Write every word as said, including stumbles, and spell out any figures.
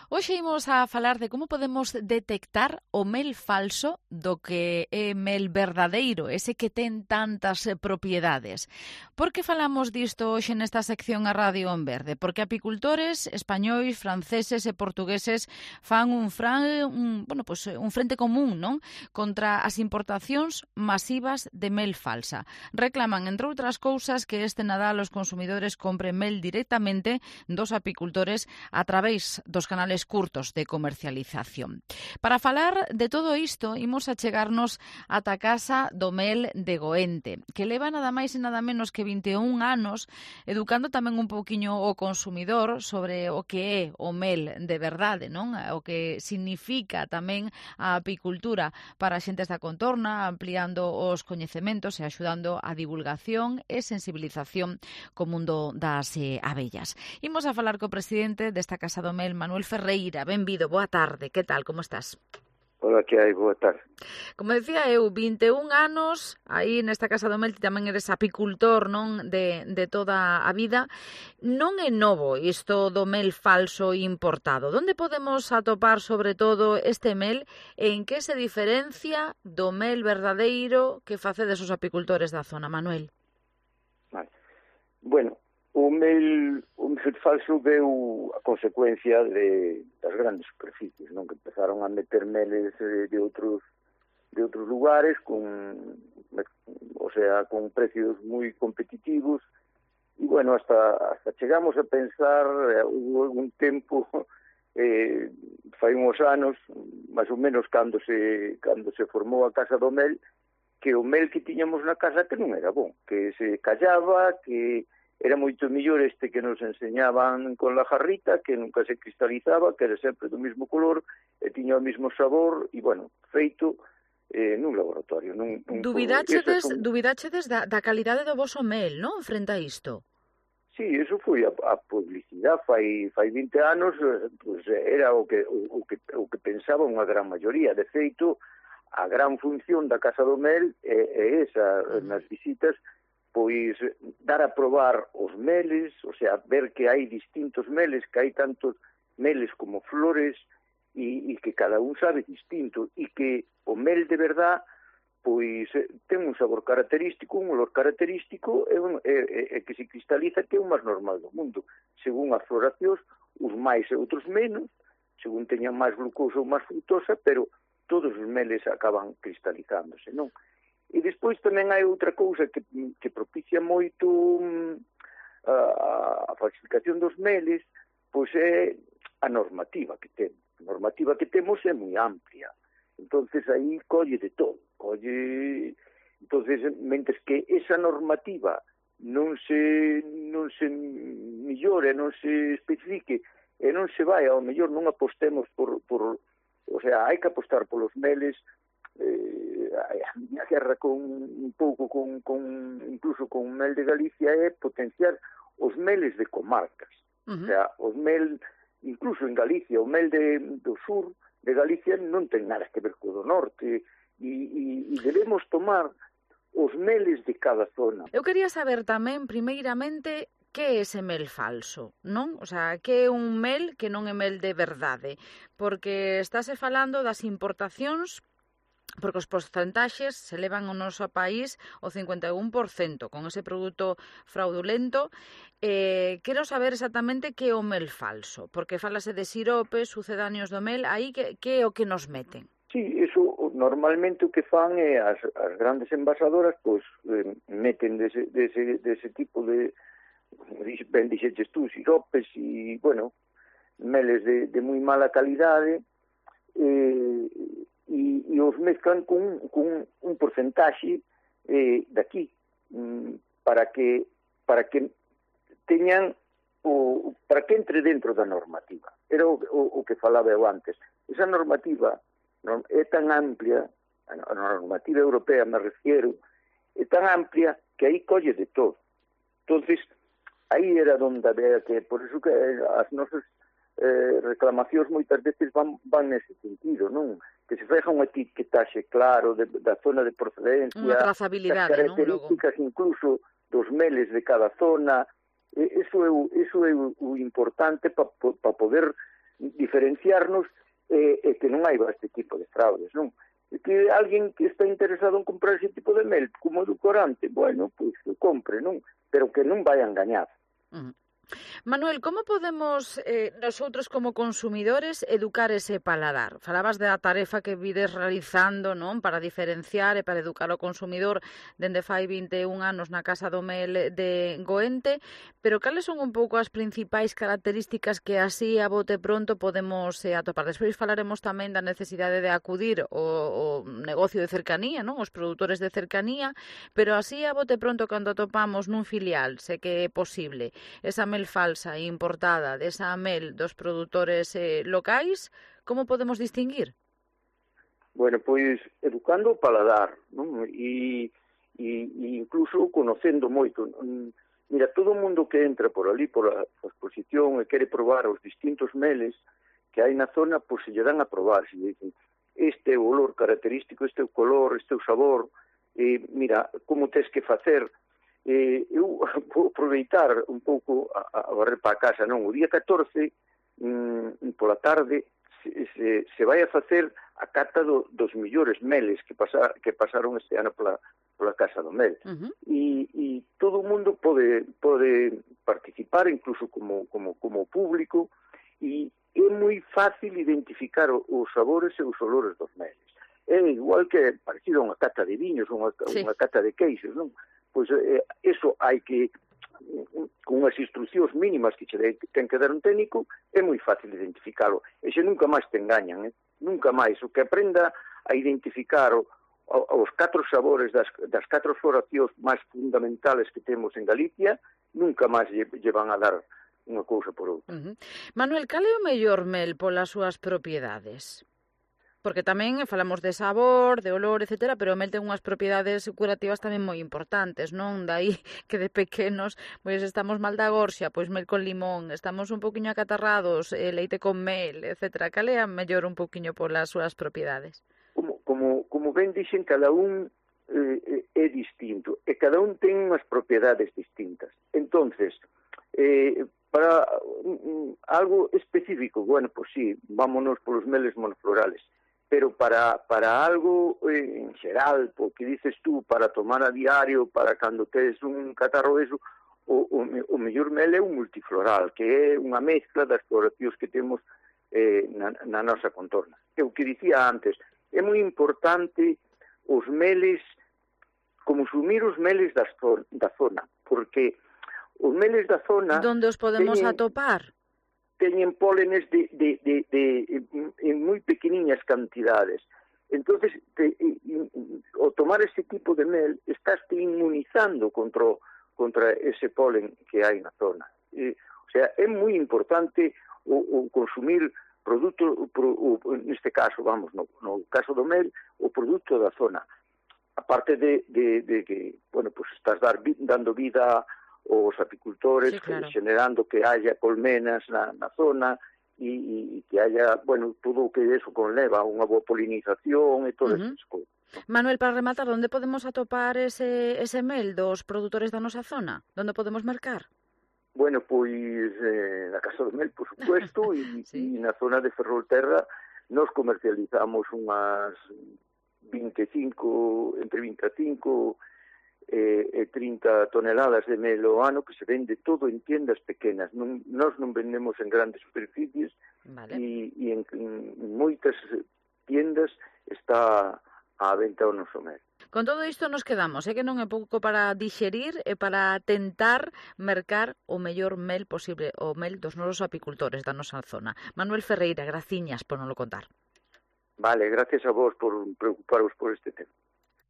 Hoxe imos a falar de como podemos detectar o mel falso do que é mel verdadeiro, ese que ten tantas eh, propiedades. Por que falamos disto hoxe nesta sección a Radio en Verde? Porque apicultores españois, franceses e portugueses fan un, fran, un, bueno, pues, un frente común, non? Contra as importacións masivas de mel falsa. Reclaman, entre outras cousas, que este Nadal os consumidores compren mel directamente dos apicultores a través dos canales curtos de comercialización. Para falar de todo isto, imos a chegarnos ata a casa do mel de Goente, que leva nada máis e nada menos que vinte e un anos educando tamén un pouquiño o consumidor sobre o que é o mel de verdade, non? O que significa tamén a apicultura para a xentes da contorna, ampliando os coñecementos e axudando a divulgación e sensibilización co mundo das eh, abellas. Imos a falar co presidente desta Casa do Mel, Manuel Ferreira. Benvido, boa tarde. Que tal, como estás? Hola, que hai? Boa tarde. Como decía eu, vinte e un anos, aí nesta Casa do Mel, ti tamén eres apicultor, non, de, de toda a vida. Non é novo isto do mel falso importado. Donde podemos atopar, sobre todo, este mel? En que se diferencia do mel verdadeiro que facedes os apicultores da zona, Manuel? Vale. Bueno, o mel, o mel falso veu a consecuencia de, das grandes superficies, non? Que empezaron a meter meles de, de outros de outros lugares con, o sea, con precios moi competitivos e, bueno, hasta hasta chegamos a pensar, eh, hubo un tempo eh, fai uns anos, máis ou menos cando se cando se formou a Casa do Mel, que o mel que tiñamos na casa que non era bon, que se callaba, que era moito mellor este que nos enseñaban con la jarrita, que nunca se cristalizaba, que era sempre do mesmo color, e tiña o mesmo sabor, e, bueno, feito eh, nun laboratorio. Nun, nun Dubidáchedes, son... dubidáchedes da, da calidade do voso mel, non? Frente a isto. Sí, eso foi a, a publicidade. Fai, fai vinte anos, pues, era o que, o, o, que, o que pensaba unha gran maioría. De feito, a gran función da Casa do Mel é, é esa, uh-huh. nas visitas, pois dar a probar os meles, o sea, ver que hai distintos meles, que hai tantos meles como flores, e, e que cada un sabe distinto, e que o mel de verdad, pois, ten un sabor característico, un olor característico, e, un, e, e que se cristaliza, que é o máis normal do mundo. Según as floracións, uns máis e outros menos, según teñan máis glucosa ou máis fructosa, pero todos os meles acaban cristalizándose, non? E despois tamén hai outra cousa que, que propicia moito um, a, a falsificación dos meles, pois é a normativa que temos. A normativa que temos é moi amplia. Entonces aí colle de todo. Colle... Entonces, mentres que esa normativa non se, non se millore, non se especifique, e non se vai, ao mellor non apostemos por, por... O sea, hai que apostar polos meles. Eh, a miña guerra con un pouco con, con incluso con o mel de Galicia é potenciar os meles de comarcas. Uh-huh. O sea, os mel incluso en Galicia, o mel de, do sur de Galicia non ten nada que ver co do norte, e, e, e debemos tomar os meles de cada zona. Eu quería saber tamén, primeiramente, que é ese mel falso, non? O sea, que é un mel que non é mel de verdade, porque estáse falando das importacións, porque os porcentaxes se levan ao noso país o cincuenta e un por cento con ese produto fraudulento. Eh, quero saber exactamente que é o mel falso, porque falase de siropes, sucedáneos do mel, aí que, que é o que nos meten? Sí, eso normalmente o que fan é as, as grandes envasadoras, pois eh, meten dese, dese, dese tipo de, ben dixeches tú, siropes e, bueno, meles de, de moi mala calidade, eh, E, e os mezclan con, con un porcentaxe eh, daqui mm, para que para que teñan o, para que entre dentro da normativa. Era o, o, o que falaba eu antes. Esa normativa non, é tan amplia, a normativa europea me refiero, é tan amplia que aí colle de todo. Entonces, aí era onde había que, por eso que as nosas eh, reclamacións moitas veces van, van nese sentido, non? Que se feja unha etiquetaxe claro de, da zona de procedencia, unha trazabilidade, das características, non? Incluso dos meles de cada zona. E, eso é, o, eso é o, o importante para pa poder diferenciarnos e, e que non hai este tipo de fraudes, non? E que alguén que está interesado en comprar ese tipo de mel como edulcorante, bueno, pois que compre, non? Pero que non vai a engañar. Uh-huh. Manuel, como podemos eh, nosotros como consumidores educar ese paladar? Falabas da tarefa que vides realizando, non, para diferenciar e para educar o consumidor dende fai vinte e un anos na Casa do Mel de Goente, pero cales son un pouco as principais características que así a bote pronto podemos eh, atopar? Despois falaremos tamén da necesidade de acudir ao, ao negocio de cercanía, non, os produtores de cercanía, pero así a bote pronto cando atopamos nun filial, sé que é posible, esa mel falsa e importada desa mel dos produtores eh, locais, como podemos distinguir? Bueno, pois educando o paladar, non? E, e, e incluso conocendo moito. Mira, todo o mundo que entra por ali, por a exposición e quere probar os distintos meles que hai na zona, pois se lle dan a probar, se lle dicen este é o olor característico, este é o color, este é o sabor, e mira, como tes que facer. Eh, eu vou aproveitar un pouco a, a barrer para a casa, non? O día catorce, mm, pola tarde, se, se, se vai a facer a cata do, dos millores meles que, pasa, que pasaron este ano pola, pola Casa do Mel. Uh-huh. E, e todo o mundo pode, pode participar, incluso como, como, como público, e é moi fácil identificar os sabores e os olores dos meles. É igual que parecido a unha cata de viños, unha, sí. unha cata de queixos, non? Pois eh, eso hai que, con unhas instruccións mínimas que che ten que dar un técnico, é moi fácil identificalo. E xe nunca máis te engañan, eh? Nunca máis. O que aprenda a identificar o, o, os catro sabores das, das catro floracións máis fundamentales que temos en Galicia, nunca máis lle, lle van a dar unha cousa por outra. Uh-huh. Manuel, cal é o mellor mel polas súas propiedades? Porque tamén falamos de sabor, de olor, etcétera, pero o mel ten unhas propiedades curativas tamén moi importantes, non? Daí que de pequenos pois estamos mal da gorxa, pois mel con limón, estamos un poquinho acatarrados, eh, leite con mel, etcétera. Cal é a mellor un poquinho polas súas propiedades? Como, como, como ben dixen, cada un eh, é distinto, e cada un ten unhas propiedades distintas. Entonces, eh, para um, algo específico, bueno, pois sí, vámonos polos meles monoflorales, pero para, para algo eh, en xeral, porque dices tú, para tomar a diario, para cando tes un catarro eso, o, o, o mellor mel é un multifloral, que é unha mezcla das floracións que temos eh, na, na nosa contorna. E o que dicía antes, é moi importante os meles, consumir os meles da, da zona, porque os meles da zona... Donde os podemos teñen, atopar? Teñen pólenes de, de, de, de, de, en moi pequeniñas cantidades. Entonces, te, o tomar ese tipo de mel, estás te inmunizando contra, contra ese polen que hai na zona. E, o sea, é moi importante o, o consumir produto, pro, o, neste caso, vamos, no, no caso do mel, o produto da zona. Aparte de, de, de que, bueno, pues estás dar, dando vida os apicultores, sí, claro, generando que haya colmenas na, na zona e, e que haya, bueno, todo o que eso conleva, unha boa polinización e todas uh-huh. esas cousas. ¿No? Manuel, para rematar, onde podemos atopar ese, ese mel dos produtores da nosa zona? Onde podemos mercar? Bueno, pois eh, na Casa do Mel, por supuesto, e, sí. e na zona de Ferrolterra nos comercializamos unhas vinte e cinco, entre vinte e cinco e eh, trinta toneladas de mel ao ano que se vende todo en tiendas pequenas. Non, nós non vendemos en grandes superficies, vale, e, e en, en moitas tiendas está á venta o noso mel. Con todo isto nos quedamos, é que non é pouco para dixerir e para tentar mercar o mellor mel posible, o mel dos nosos apicultores da nosa zona. Manuel Ferreira, graciñas por non lo contar. Vale, gracias a vos por preocuparos por este tema.